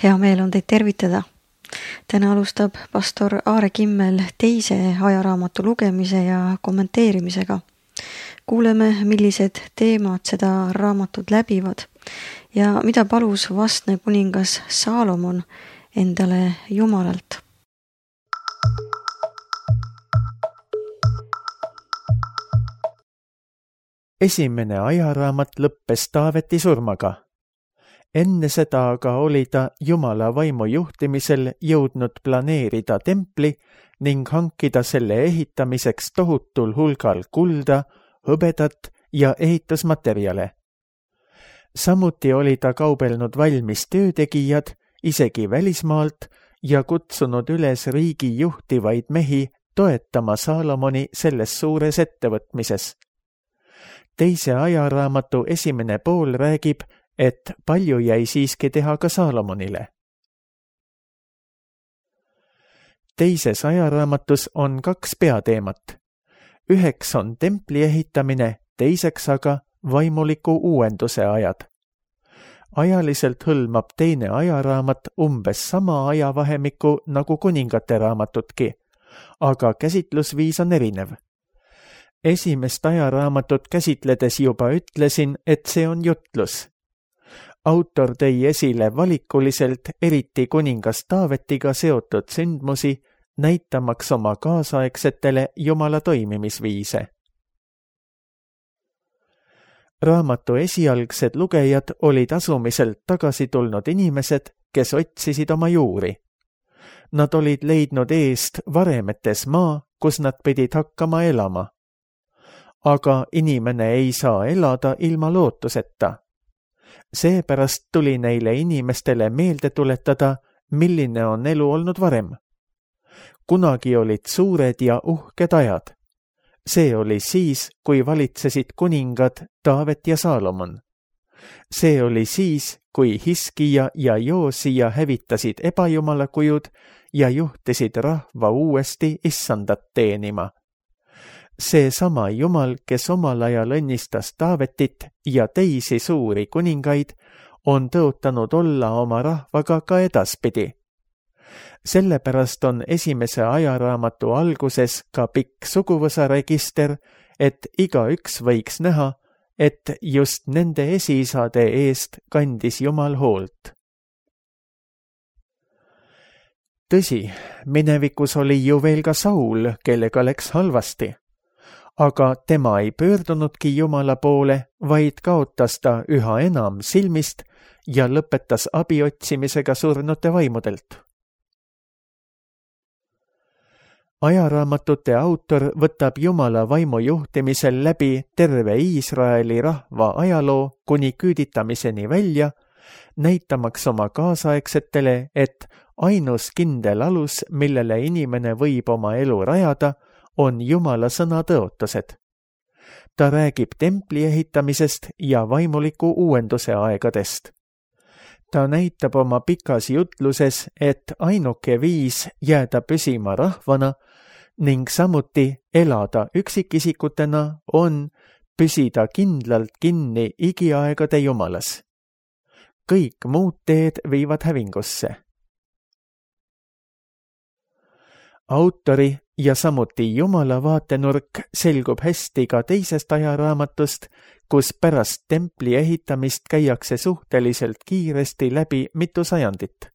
Hea meel on teid tervitada. Täna alustab pastor Aare Kimmel teise ajaraamatu lugemise ja kommenteerimisega. Kuuleme, millised teemad seda raamatut läbivad ja mida palus vastne kuningas Saalomon endale Jumalalt. Esimene ajaraamat lõppes Taaveti surmaga. Enne seda aga oli ta Jumala vaimu juhtimisel jõudnud planeerida templi ning hankida selle ehitamiseks tohutul hulgal kulda, hõbedat ja ehitusmaterjale. Samuti oli ta kaubelnud valmis töötegijad, isegi välismaalt, ja kutsunud üles riigi juhtivaid mehi toetama Saalomoni selles suures ettevõtmises. Teise ajaraamatu esimene pool räägib, et palju jäi siiski teha ka Saalomonile. Teises ajaraamatus on 2 peateemat. Üheks on templi ehitamine, teiseks aga vaimuliku uuenduse ajad. Ajaliselt hõlmab teine ajaraamat umbes sama ajavahemikku nagu kuningate raamatutki, aga käsitlusviis on erinev. Esimest ajaraamatut käsitledes juba ütlesin, et see on jutlus. Autor tõi esile valikuliselt eriti kuningas Taavetiga seotud sündmusi, näitamaks oma kaasaegsetele Jumala toimimisviise. Raamatu esialgsed lugejad olid asumiselt tagasi tulnud inimesed, kes otsisid oma juuri. Nad olid leidnud eest varemetes maa, kus nad pidid hakkama elama. Aga inimene ei saa elada ilma lootuseta. Seepärast tuli neile inimestele meelde tuletada, milline on elu olnud varem. Kunagi olid suured ja uhked ajad. See oli siis, kui valitsesid kuningad Taavet ja Saalomon. See oli siis, kui Hiskija ja Joosija hävitasid ebajumala-kujud ja juhtisid rahva uuesti issandat teenima. See sama Jumal, kes omal ajal õnnistas Taavetit ja teisi suuri kuningaid, on tõotanud olla oma rahvaga ka edaspidi. Sellepärast on esimese ajaraamatu alguses ka pikk suguvõsaregister, et igaüks võiks näha, et just nende esiisade eest kandis Jumal hoolt. Tõsi, minevikus oli ju veel ka Saul, kellega läks halvasti. Aga tema ei pöördunudki Jumala poole, vaid kaotas ta üha enam silmist ja lõpetas abi otsimisega surnute vaimudelt. Ajaraamatute autor võtab Jumala vaimu juhtimisel läbi terve Iisraeli rahva ajaloo kuni küüditamiseni välja, näitamaks oma kaasaegsetele, et ainus kindel alus, millele inimene võib oma elu rajada, on Jumala sõna tõotused. Ta räägib templi ehitamisest ja vaimuliku uuenduse aegadest. Ta näitab oma pikas jutluses, et ainuke viis jääda püsima rahvana ning samuti elada üksikisikutena on püsida kindlalt kinni igiaegade Jumalas. Kõik muud teed viivad hävingusse. Autori ja samuti Jumala vaatenurk selgub hästi ka teisest ajaraamatust, kus pärast templi ehitamist käiakse suhteliselt kiiresti läbi mitu sajandit.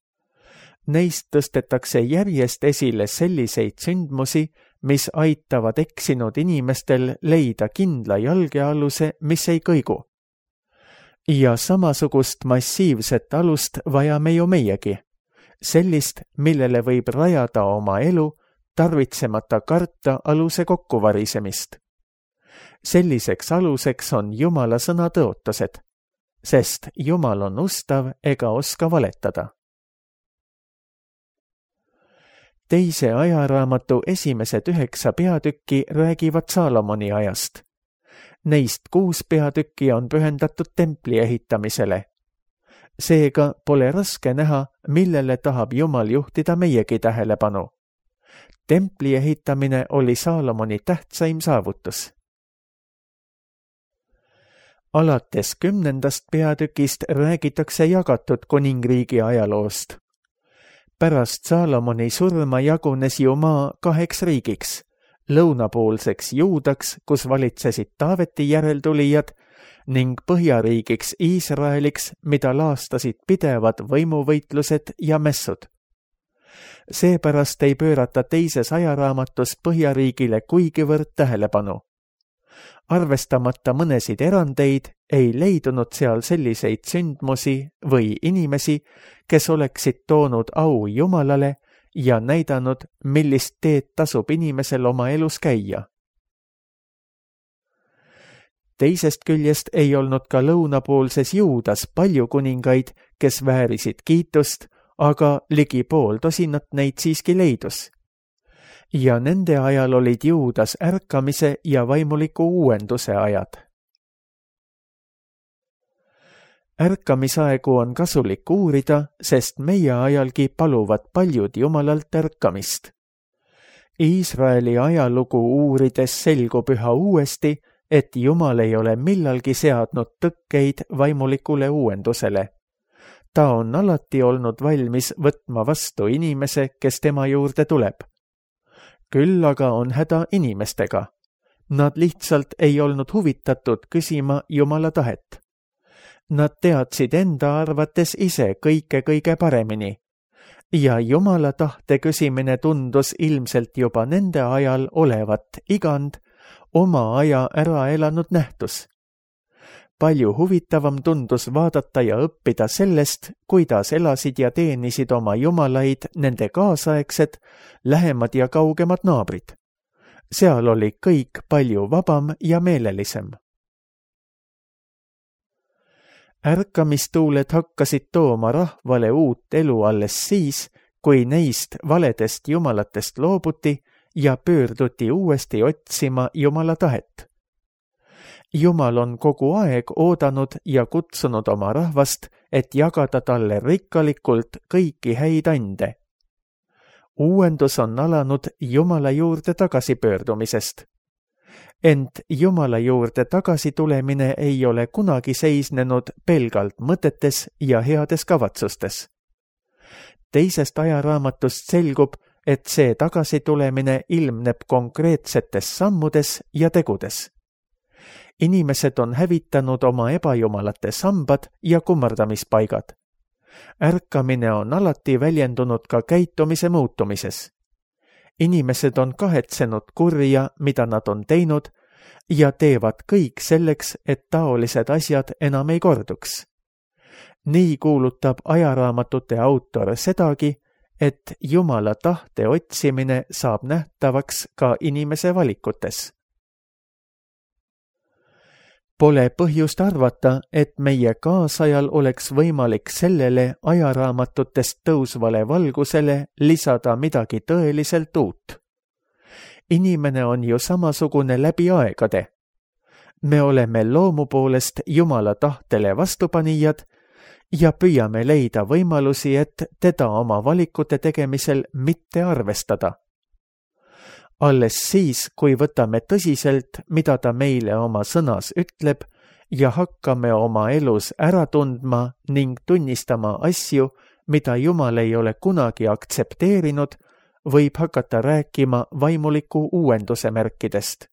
Neist tõstetakse järjest esile selliseid sündmusi, mis aitavad eksinud inimestel leida kindla jalgealuse, mis ei kõigu. Ja samasugust massiivset alust vajame ju meiegi. Sellist, millele võib rajada oma elu, tarvitsemata karta aluse kokkuvarisemist. Selliseks aluseks on Jumala sõna tõotused, sest Jumal on ustav ega oska valetada. Teise ajaraamatu esimesed 9 peatükki räägivad Saalomoni ajast. Neist 6 peatükki on pühendatud templi ehitamisele. Seega pole raske näha, millele tahab Jumal juhtida meiegi tähelepanu. Templi ehitamine oli Saalomoni tähtsaim saavutus. Alates 10. peatükist räägitakse jagatud kuningriigi ajaloost. Pärast Saalomoni surma jagunes ju maa 2 riigiks, lõunapoolseks Juudaks, kus valitsesid Taaveti järeltulijad, ning põhjariigiks Iisraeliks, mida laastasid pidevad võimuvõitlused ja mässud. Seepärast ei pöörata teises ajaraamatus põhjariigile kuigivõrd tähelepanu. Arvestamata mõnesid erandeid ei leidunud seal selliseid sündmusi või inimesi, kes oleksid toonud au Jumalale ja näidanud, millist teed tasub inimesel oma elus käia. Teisest küljest ei olnud ka lõunapoolses Juudas palju kuningaid, kes väärisid kiitust, aga ligi 50 neid siiski leidus. Ja nende ajal olid Juudas ärkamise ja vaimuliku uuenduse ajad. Ärkamisaegu on kasulik uurida, sest meie ajalgi paluvad paljud Jumalalt ärkamist. Iisraeli ajalugu uurides selgub üha uuesti, et Jumal ei ole millalgi seadnud tõkkeid vaimulikule uuendusele. Ta on alati olnud valmis võtma vastu inimese, kes tema juurde tuleb. Küll aga on häda inimestega. Nad lihtsalt ei olnud huvitatud küsima Jumala tahet. Nad teadsid enda arvates ise kõige paremini. Ja Jumala tahte küsimine tundus ilmselt juba nende ajal olevat igand, oma aja ära elanud nähtus. Palju huvitavam tundus vaadata ja õppida sellest, kuidas elasid ja teenisid oma jumalaid nende kaasaegsed, lähemad ja kaugemad naabrid. Seal oli kõik palju vabam ja meelelisem. Ärkamistuuled hakkasid tooma rahvale uut elu alles siis, kui neist valedest jumalatest loobuti ja pöörduti uuesti otsima Jumala tahet. Jumal on kogu aeg oodanud ja kutsunud oma rahvast, et jagada talle rikkalikult kõiki häid ande. Uuendus on alanud Jumala juurde tagasipöördumisest. Ent Jumala juurde tagasitulemine ei ole kunagi seisnenud pelgalt mõtetes ja heades kavatsustes. Teisest ajaraamatust selgub, et see tagasitulemine ilmneb konkreetsetes sammudes ja tegudes. Inimesed on hävitanud oma ebajumalate sambad ja kummardamispaigad. Ärkamine on alati väljendunud ka käitumise muutumises. Inimesed on kahetsenud kurja, mida nad on teinud, ja teevad kõik selleks, et taolised asjad enam ei korduks. Nii kuulutab ajaraamatute autor sedagi, et Jumala tahte otsimine saab nähtavaks ka inimese valikutes. Pole põhjust arvata, et meie kaasajal oleks võimalik sellele ajaraamatutest tõusvale valgusele lisada midagi tõeliselt uut. Inimene on ju samasugune läbi aegade. Me oleme loomu poolest Jumala tahtele vastupanijad ja püüame leida võimalusi, et teda oma valikute tegemisel mitte arvestada. Alles siis, kui võtame tõsiselt, mida ta meile oma sõnas ütleb ja hakkame oma elus ära tundma ning tunnistama asju, mida Jumal ei ole kunagi aktsepteerinud, võib hakata rääkima vaimuliku uuenduse märkidest.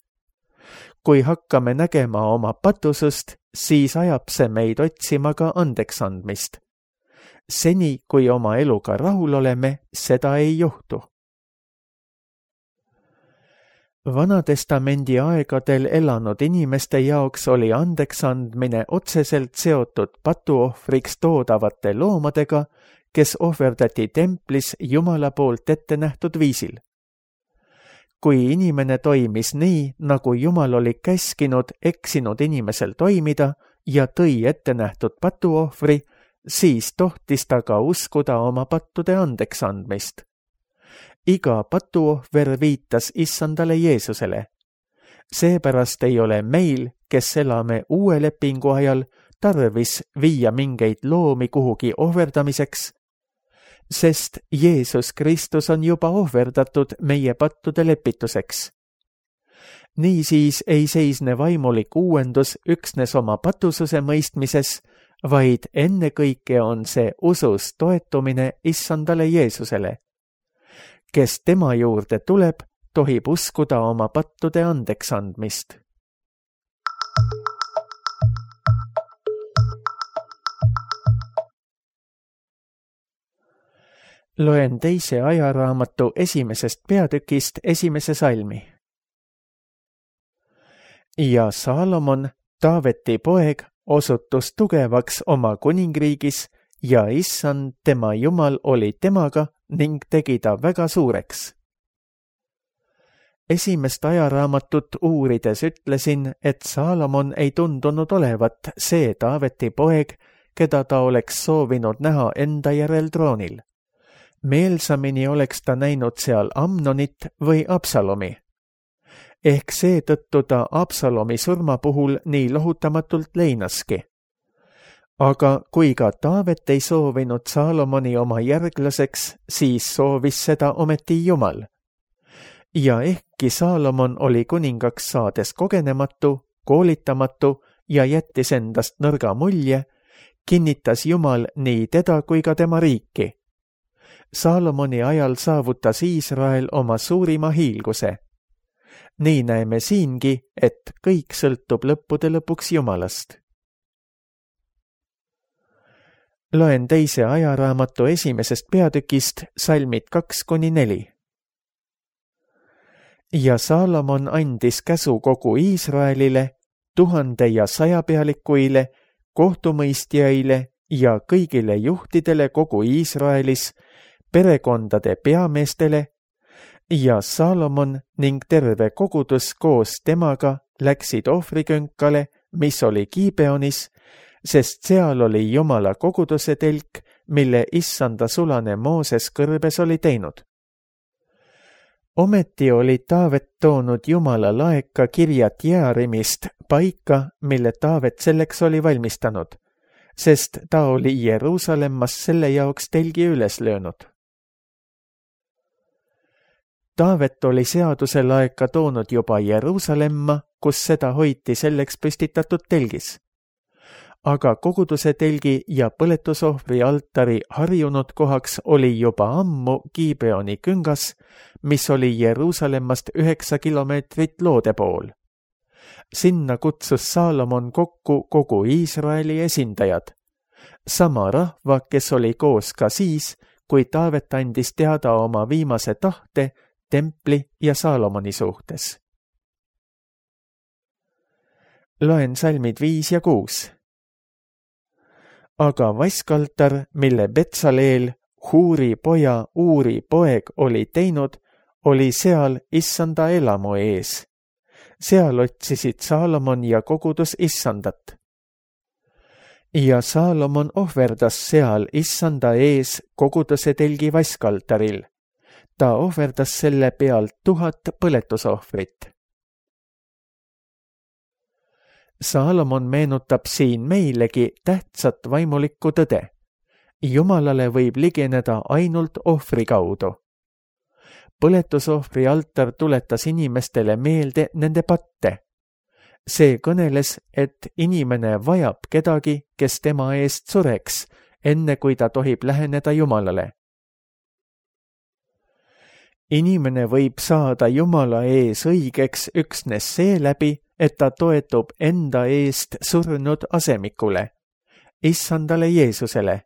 Kui hakkame nägema oma patusust, siis ajab see meid otsima ka andeksandmist. Seni, kui oma eluga rahul oleme, seda ei juhtu. Vanatestamendi aegadel elanud inimeste jaoks oli andeksandmine otseselt seotud patuohvriks toodavate loomadega, kes ohverdati templis Jumala poolt ette nähtud viisil. Kui inimene toimis nii, nagu Jumal oli käskinud eksinud inimesel toimida ja tõi ette nähtud patuohvri, siis tohtis ta ka uskuda oma pattude andeksandmist. Iga patuohver viitas issandale Jeesusele. Seepärast ei ole meil, kes elame uue lepingu ajal, tarvis viia mingeid loomi kuhugi ohverdamiseks, sest Jeesus Kristus on juba ohverdatud meie pattude lepituseks. Niisiis ei seisne vaimulik uuendus üksnes oma patususe mõistmises, vaid ennekõike on see usus toetumine issandale Jeesusele. Kes tema juurde tuleb, tohib uskuda oma pattude andeksandmist. Loen teise ajaraamatu 1. peatükist 1. salmi. Ja Saalomon, Taaveti poeg, osutus tugevaks oma kuningriigis ja issand tema Jumal oli temaga ning tegi ta väga suureks. 1. ajaraamatut uurides ütlesin, et Saalomon ei tundunud olevat see Taaveti poeg, keda ta oleks soovinud näha enda järel troonil. Meelsamini oleks ta näinud seal Amnonit või Absalomi. Ehk seetõttu ta Absalomi surma puhul nii lohutamatult leinaski. Aga kui ka Taavet ei soovinud Saalomoni oma järglaseks, siis soovis seda ometi Jumal. Ja ehkki Saalomon oli kuningaks saades kogenematu, koolitamatu ja jättis endast nõrga mulje, kinnitas Jumal nii teda kui ka tema riiki. Saalomoni ajal saavutas Iisrael oma suurima hiilguse. Nii näeme siingi, et kõik sõltub lõppude lõpuks Jumalast. Loen teise ajaraamatu 1. peatükist salmid 2-4. Ja Saalomon andis käsu kogu Iisraelile, 1000 ja 100 pealikuile, kohtumõistjaile ja kõigile juhtidele kogu Iisraelis, perekondade peameestele, ja Saalomon ning terve kogudus koos temaga läksid ohvrikünkale, mis oli Gibeonis, sest seal oli Jumala koguduse telk, mille issanda sulane Mooses kõrbes oli teinud. Ometi oli Taavet toonud Jumala laeka Kirjat Jearimist paika, mille Taavet selleks oli valmistanud, sest ta oli Jeruusalemmas selle jaoks telgi üles löönud. Taavet oli seaduse laeka toonud juba Jeruusalemma, kus seda hoiti selleks püstitatud telgis. Aga koguduse telgi ja põletusohvri altari harjunud kohaks oli juba ammu Gibeoni küngas, mis oli Jeruusalemmast 9 kilomeetrit loode pool. Sinna kutsus Saalomon kokku kogu Iisraeli esindajad, sama rahva, kes oli koos ka siis, kui Taavet andis teada oma viimase tahte templi ja Saalomoni suhtes. Loen salmid 5 ja 6. Aga vaskaltar, mille Betsaleel, Huuri poja Uuri poeg oli teinud, oli seal issanda elamu ees. Seal otsisid Saalomon ja kogudus issandat. Ja Saalomon ohverdas seal issanda ees koguduse telgi vaskaltaril. Ta ohverdas selle pealt 1000 põletusohvrit. Saalomon meenutab siin meilegi tähtsat vaimulikku tõde. Jumalale võib ligeneda ainult ohvri kaudu. Põletusohvri altar tuletas inimestele meelde nende patte. See kõneles, et inimene vajab kedagi, kes tema eest sureks, enne kui ta tohib läheneda Jumalale. Inimene võib saada Jumala ees õigeks üksnes seeläbi, et ta toetub enda eest surnud asemikule, issandale Jeesusele.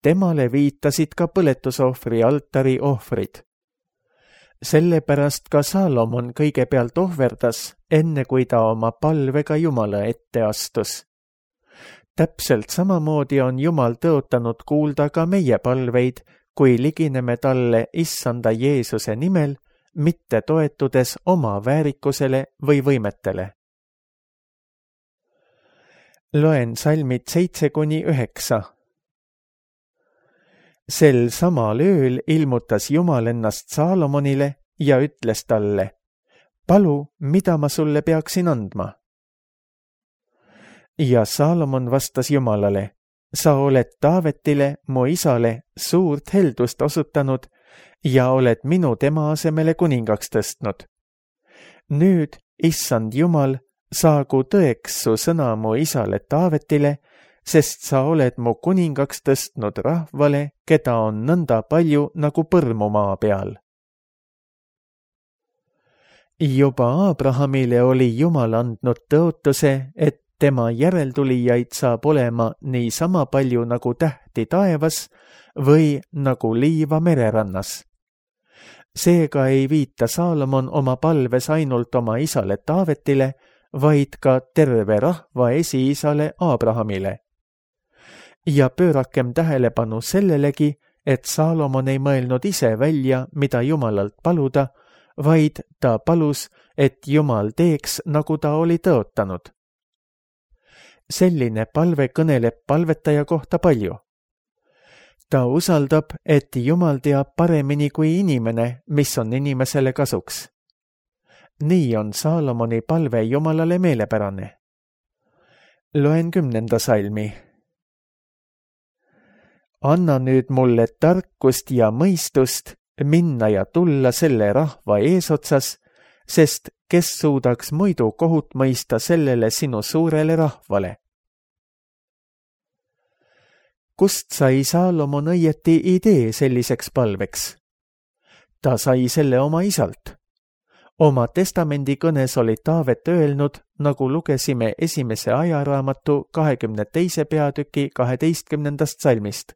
Temale viitasid ka põletusohvri altari ohvrid. Sellepärast ka Saalomon kõigepealt ohverdas, enne kui ta oma palvega Jumala ette astus. Täpselt samamoodi on Jumal tõotanud kuulda ka meie palveid, kui ligineme talle issanda Jeesuse nimel, mitte toetudes oma väärikusele või võimetele. Loen salmid 7-9. Sel samal ööl ilmutas Jumal ennast Saalomonile ja ütles talle, palu, mida ma sulle peaksin andma? Ja Saalomon vastas Jumalale, sa oled Taavetile, mu isale, suurt heldust osutanud ja oled minu tema asemele kuningaks tõstnud. Nüüd, issand Jumal, saagu tõeks su sõna mu isale Taavetile, sest sa oled mu kuningaks tõstnud rahvale, keda on nõnda palju nagu põrmu maa peal. Juba Abrahamile oli Jumal andnud tõotuse, et tema järeltulijaid saab olema niisama palju nagu tähti taevas või nagu liiva mererannas. Seega ei viita Saalomon oma palves ainult oma isale Taavetile, vaid ka terve rahva esiisale Abrahamile. Ja pöörakem tähelepanu sellelegi, et Saalomon ei mõelnud ise välja, mida Jumalalt paluda, vaid ta palus, et Jumal teeks, nagu ta oli tõotanud. Selline palve kõneleb palvetaja kohta palju. Ta usaldab, et Jumal teab paremini kui inimene, mis on inimesele kasuks. Nii on Saalomoni palve Jumalale meelepärane. Loen 10. salmi. Anna nüüd mulle tarkust ja mõistust minna ja tulla selle rahva eesotsas, sest kes suudaks muidu kohut mõista sellele sinu suurele rahvale. Kust sai Saalomon õieti idee selliseks palveks? Ta sai selle oma isalt. Oma testamendikõnes oli Taavet öelnud, nagu lugesime 1. ajaraamatu 22. peatüki 12. salmist.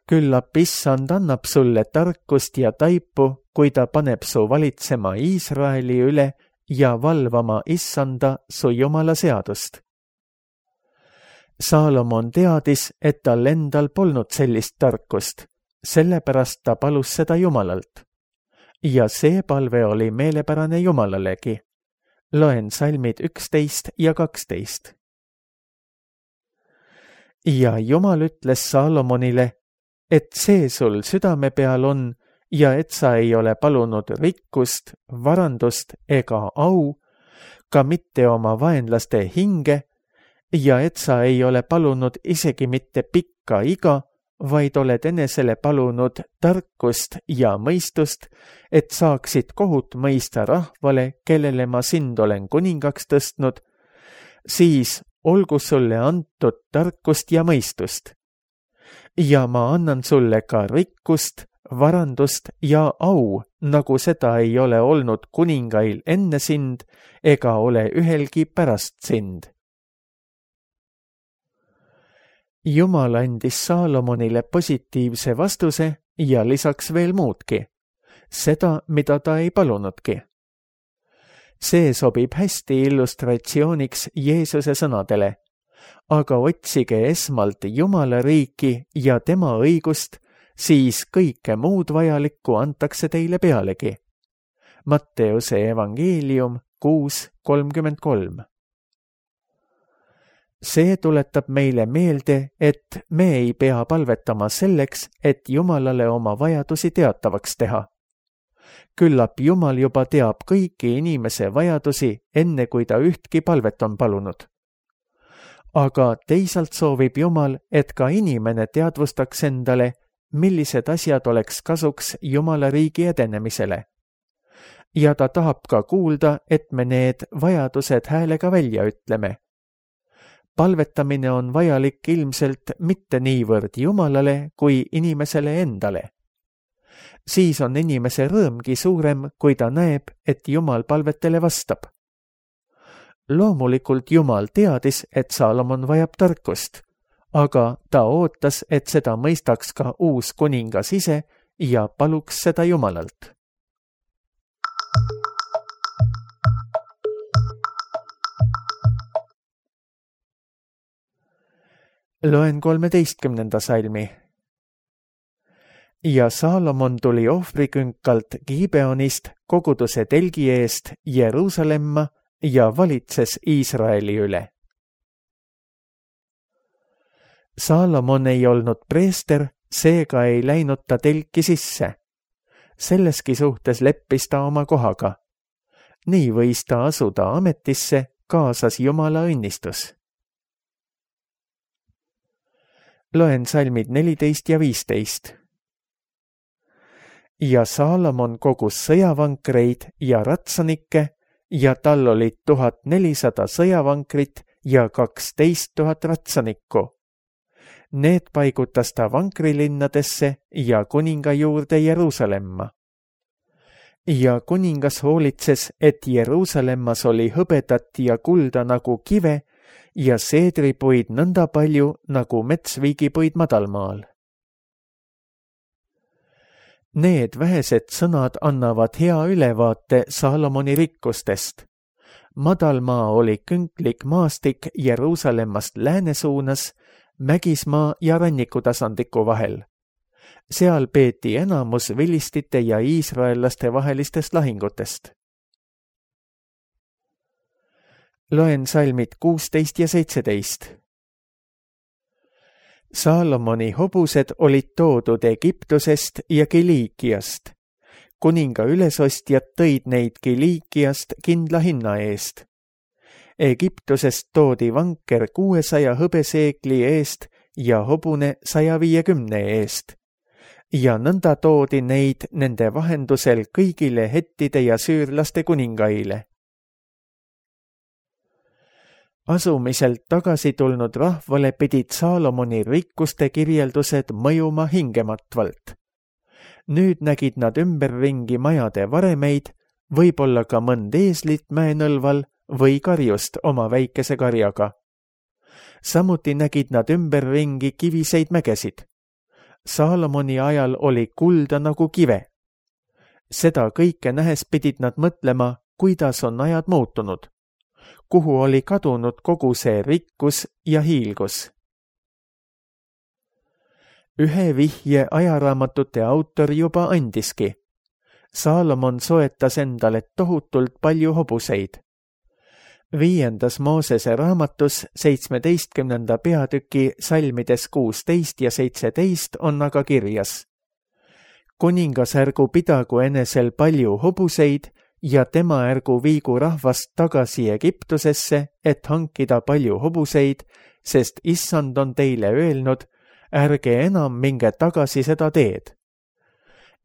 Küllap issand annab sulle tarkust ja taipu, kui ta paneb su valitsema Iisraeli üle ja valvama issanda su Jumala seadust. Saalomon teadis, et tal endal polnud sellist tarkust, sellepärast ta palus seda Jumalalt. Ja see palve oli meelepärane Jumalalegi. Loen salmid 11 ja 12. Ja Jumal ütles Saalomonile, et see sul südame peal on ja et sa ei ole palunud rikkust, varandust ega au, ka mitte oma vaenlaste hinge, ja et sa ei ole palunud isegi mitte pikka iga, vaid oled enesele palunud tarkust ja mõistust, et saaksid kohut mõista rahvale, kellele ma sind olen kuningaks tõstnud, siis olgu sulle antud tarkust ja mõistust. Ja ma annan sulle ka rikkust, varandust ja au, nagu seda ei ole olnud kuningail enne sind ega ole ühelgi pärast sind. Jumal andis Saalomonile positiivse vastuse ja lisaks veel muudki, seda, mida ta ei palunudki. See sobib hästi illustratsiooniks Jeesuse sõnadele, aga otsige esmalt Jumala riiki ja tema õigust, siis kõike muud vajalikku antakse teile pealegi. Matteuse evangeelium 6:33. See tuletab meile meelde, et me ei pea palvetama selleks, et Jumalale oma vajadusi teatavaks teha. Küllap Jumal juba teab kõiki inimese vajadusi, enne kui ta ühtki palvet on palunud. Aga teisalt soovib Jumal, et ka inimene teadvustaks endale, millised asjad oleks kasuks Jumala riigi edenemisele. Ja ta tahab ka kuulda, et me need vajadused häälega välja ütleme. Palvetamine on vajalik ilmselt mitte niivõrd Jumalale kui inimesele endale. Siis on inimese rõõmgi suurem, kui ta näeb, et Jumal palvetele vastab. Loomulikult Jumal teadis, et Saalomon vajab tarkust, aga ta ootas, et seda mõistaks ka uus kuningas ise ja paluks seda Jumalalt. Loen 13. salmi. Ja Saalomon tuli ohvrikünkalt Gibeonist koguduse telgi eest Jeruusalemma ja valitses Iisraeli üle. Saalomon ei olnud preester, seega ei läinud ta telki sisse. Selleski suhtes leppis ta oma kohaga. Nii võis ta asuda ametisse, kaasas Jumala õnnistus. Loen salmid 14 ja 15. ja Saalomon kogus sõjavankreid ja ratsanikke ja tal olid 1400 sõjavankrit ja 12 000 ratsanikku. Need paigutas ta vankrilinnadesse ja kuninga juurde Jeruusalemma. Ja kuningas hoolitses, et Jeruusalemmas oli hõbedat ja kulda nagu kive ja seedripuid nõnda palju nagu metsviigipuid madalmaal. Need vähesed sõnad annavad hea ülevaate Saalomoni rikkustest. Madalmaa oli künklik maastik Jeruusalemmast lääne suunas, mägismaa ja rannikutasandiku vahel. Seal peeti enamus vilistite ja iisraellaste vahelistest lahingutest. Loen salmid 16 ja 17. Saalomoni hobused olid toodud Egiptusest ja Kiliikiast. Kuninga ülesostjad tõid neid Kiliikiast kindla hinna eest. Egiptusest toodi vanker 600 hõbeseegli eest ja hobune 150 eest. Ja nõnda toodi neid nende vahendusel kõigile hettide ja süürlaste kuningaile. Asumiselt tagasi tulnud rahvale pidid Saalomoni rikkuste kirjeldused mõjuma hingematvalt. Nüüd nägid nad ümberringi majade varemeid, võib-olla ka mõnd eeslit mäenõlval või karjust oma väikese karjaga. Samuti nägid nad ümberringi kiviseid mägesid. Saalomoni ajal oli kulda nagu kive. Seda kõike nähes pidid nad mõtlema, kuidas on ajad muutunud, kuhu oli kadunud kogu see rikkus ja hiilgus. Ühe vihje ajaraamatute autor juba andiski. Saalomon soetas endale tohutult palju hobuseid. 5. Moosese raamatus 17. peatüki salmides 16 ja 17 on aga kirjas. Kuningas ärgu pidagu enesel palju hobuseid ja tema ärgu viigu rahvast tagasi Egiptusesse, et hankida palju hobuseid, sest issand on teile öelnud, ärge enam minge tagasi seda teed.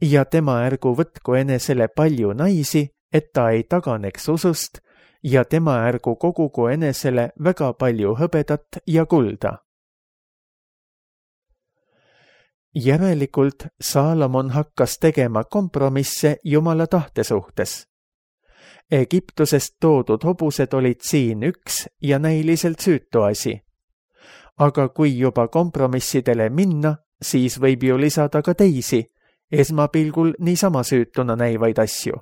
Ja tema ärgu võtku enesele palju naisi, et ta ei taganeks usust, ja tema ärgu kogugu enesele väga palju hõbedat ja kulda. Järelikult Saalomon hakkas tegema kompromisse Jumala tahte suhtes. Egiptusest toodud hobused olid siin üks ja näiliselt süütu asi. Aga kui juba kompromissidele minna, siis võib ju lisada ka teisi, esmapilgul niisama süütuna näivaid asju.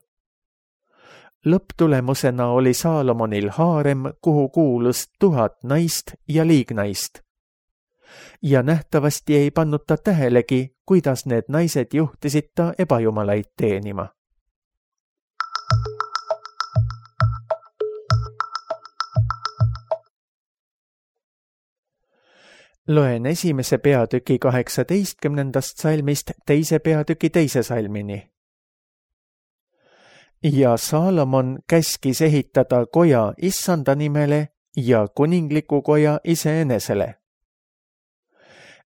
Lõpptulemusena oli Saalomonil haarem, kuhu kuulus 1000 naist ja liignaist. Ja nähtavasti ei pannud ta tähelegi, kuidas need naised juhtisid ta ebajumalaid teenima. Loen 1. peatüki 18. salmist 2. peatüki 2. salmini. Ja Saalomon käskis ehitada koja issanda nimele ja kuningliku koja iseenesele.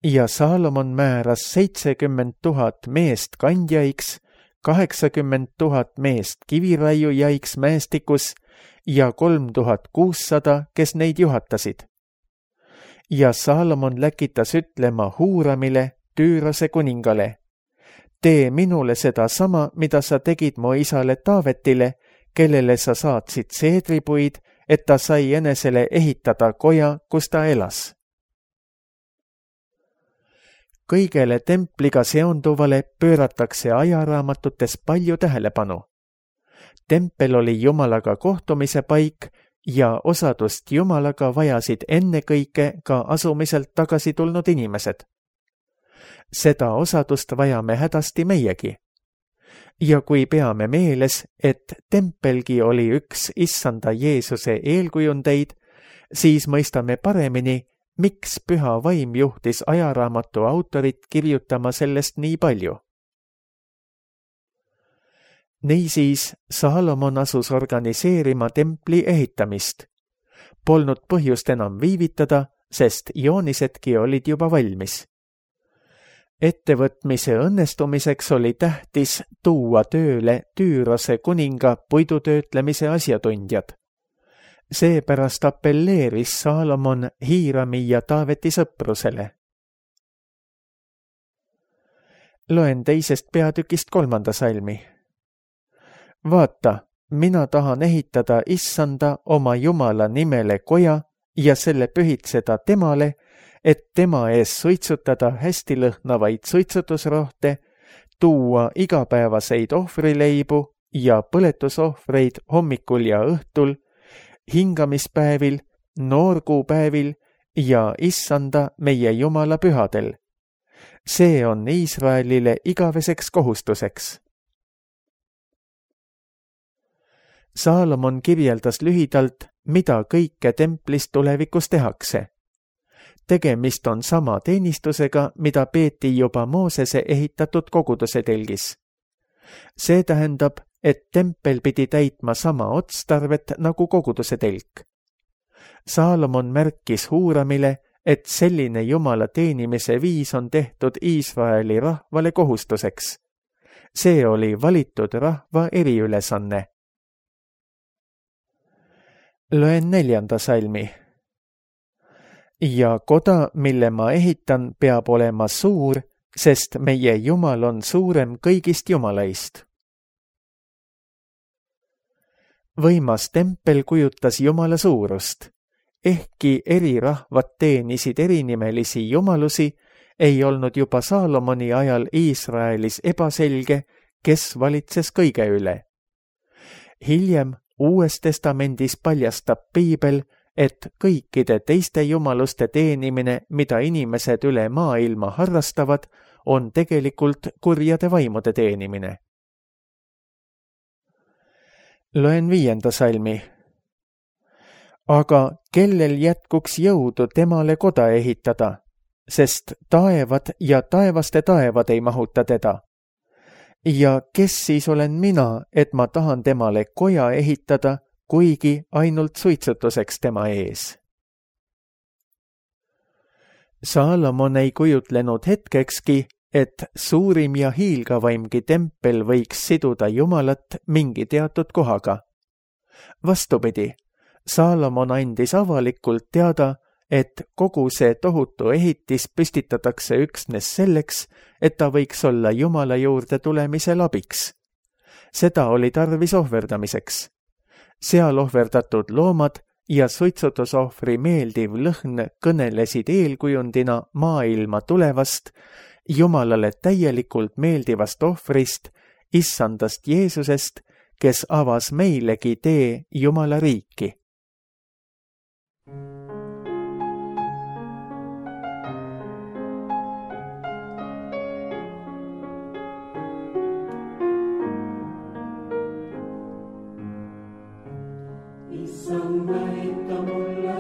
Ja Saalomon määras 70 000 meest kandjaiks, 80 000 meest kiviraiujaiks mäestikus ja 3600, kes neid juhatasid. Ja Saalomon läkitas ütlema Huuramile, Tüürose kuningale, tee minule seda sama, mida sa tegid mu isale Taavetile, kellele sa saatsid seedripuid, et ta sai enesele ehitada koja, kus ta elas. Kõigele templiga seonduvale pööratakse ajaraamatutes palju tähelepanu. Tempel oli Jumalaga kohtumise paik ja osadust Jumalaga vajasid ennekõike ka asumiselt tagasi tulnud inimesed. Seda osadust vajame hädasti meiegi. Ja kui peame meeles, et tempelgi oli üks issanda Jeesuse eelkujundeid, siis mõistame paremini, miks püha vaim juhtis ajaraamatu autorit kirjutama sellest nii palju. Niisiis Saalomon asus organiseerima templi ehitamist. Polnud põhjust enam viivitada, sest joonisedki olid juba valmis. Ettevõtmise õnnestumiseks oli tähtis tuua tööle Tüürose kuninga puidutöötlemise asjatundjad. Seepärast appelleeris Saalomon Hiirami ja Taaveti sõprusele. Loen 2. peatükist 3. salmi. Vaata, mina tahan ehitada Issanda oma Jumala nimele koja ja selle pühitseda temale, et tema ees suitsutada hästi lõhnavaid suitsutusrohte, tuua igapäevaseid ohvrileibu ja põletusohvreid hommikul ja õhtul, hingamispäevil, noorkuupäevil ja Issanda meie Jumala pühadel. See on Iisraelile igaveseks kohustuseks. Saalomon kirjeldas lühidalt, mida kõike templis tulevikus tehakse. Tegemist on sama teenistusega, mida peeti juba Moosese ehitatud koguduse telgis. See tähendab, et tempel pidi täitma sama otstarvet nagu koguduse telk. Saalomon märkis Huuramile, et selline Jumala teenimise viis on tehtud Iisraeli rahvale kohustuseks. See oli valitud rahva eriülesanne. Loen 4. salmi. Ja koda, mille ma ehitan, peab olema suur, sest meie Jumal on suurem kõigist jumalaist. Võimas tempel kujutas Jumala suurust. Ehkki eri rahvad teenisid erinimelisi jumalusi, ei olnud juba Saalomoni ajal Iisraelis ebaselge, kes valitses kõige üle. Hiljem Uues Testamendis paljastab Piibel, et kõikide teiste jumaluste teenimine, mida inimesed üle maailma harrastavad, on tegelikult kurjade vaimude teenimine. Loen 5. salmi. Aga kellel jätkuks jõudu temale koda ehitada, sest taevad ja taevaste taevad ei mahuta teda. Ja kes siis olen mina, et ma tahan temale koja ehitada, kuigi ainult suitsutuseks tema ees? Saalomon ei kujutlenud hetkekski, et suurim ja hiilgavaimgi tempel võiks siduda Jumalat mingi teatud kohaga. Vastupidi, Saalomon andis avalikult teada, et kogu see tohutu ehitis püstitatakse üksnes selleks, et ta võiks olla Jumala juurde tulemisel abiks. Seda oli tarvis ohverdamiseks. Seal ohverdatud loomad ja suitsutusohvri meeldiv lõhn kõnelesid eelkujundina maailma tulevast, Jumalale täielikult meeldivast ohvrist, Issandast Jeesusest, kes avas meilegi tee Jumala riiki. Issand näita mulle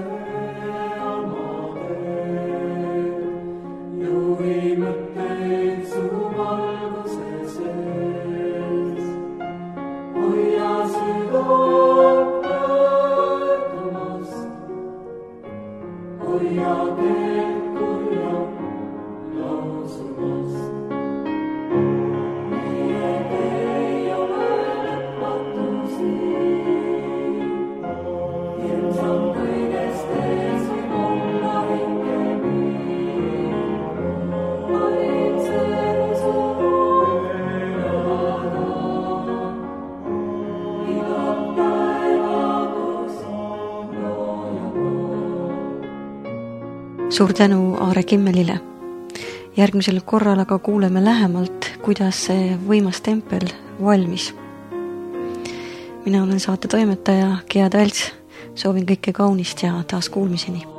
oma teed, juhi mõtteid su valguse sees. Hoia südant pöördumast, hoia teed kurja lausumast. Meie ei ole lõpmatusi. Suur tänu Aare Kimmelile. Järgmisel korral aga kuuleme lähemalt, kuidas see võimas tempel valmis. Mina olen saate toimetaja Gea Talts. Soovin kõike kaunist ja taas kuulmiseni.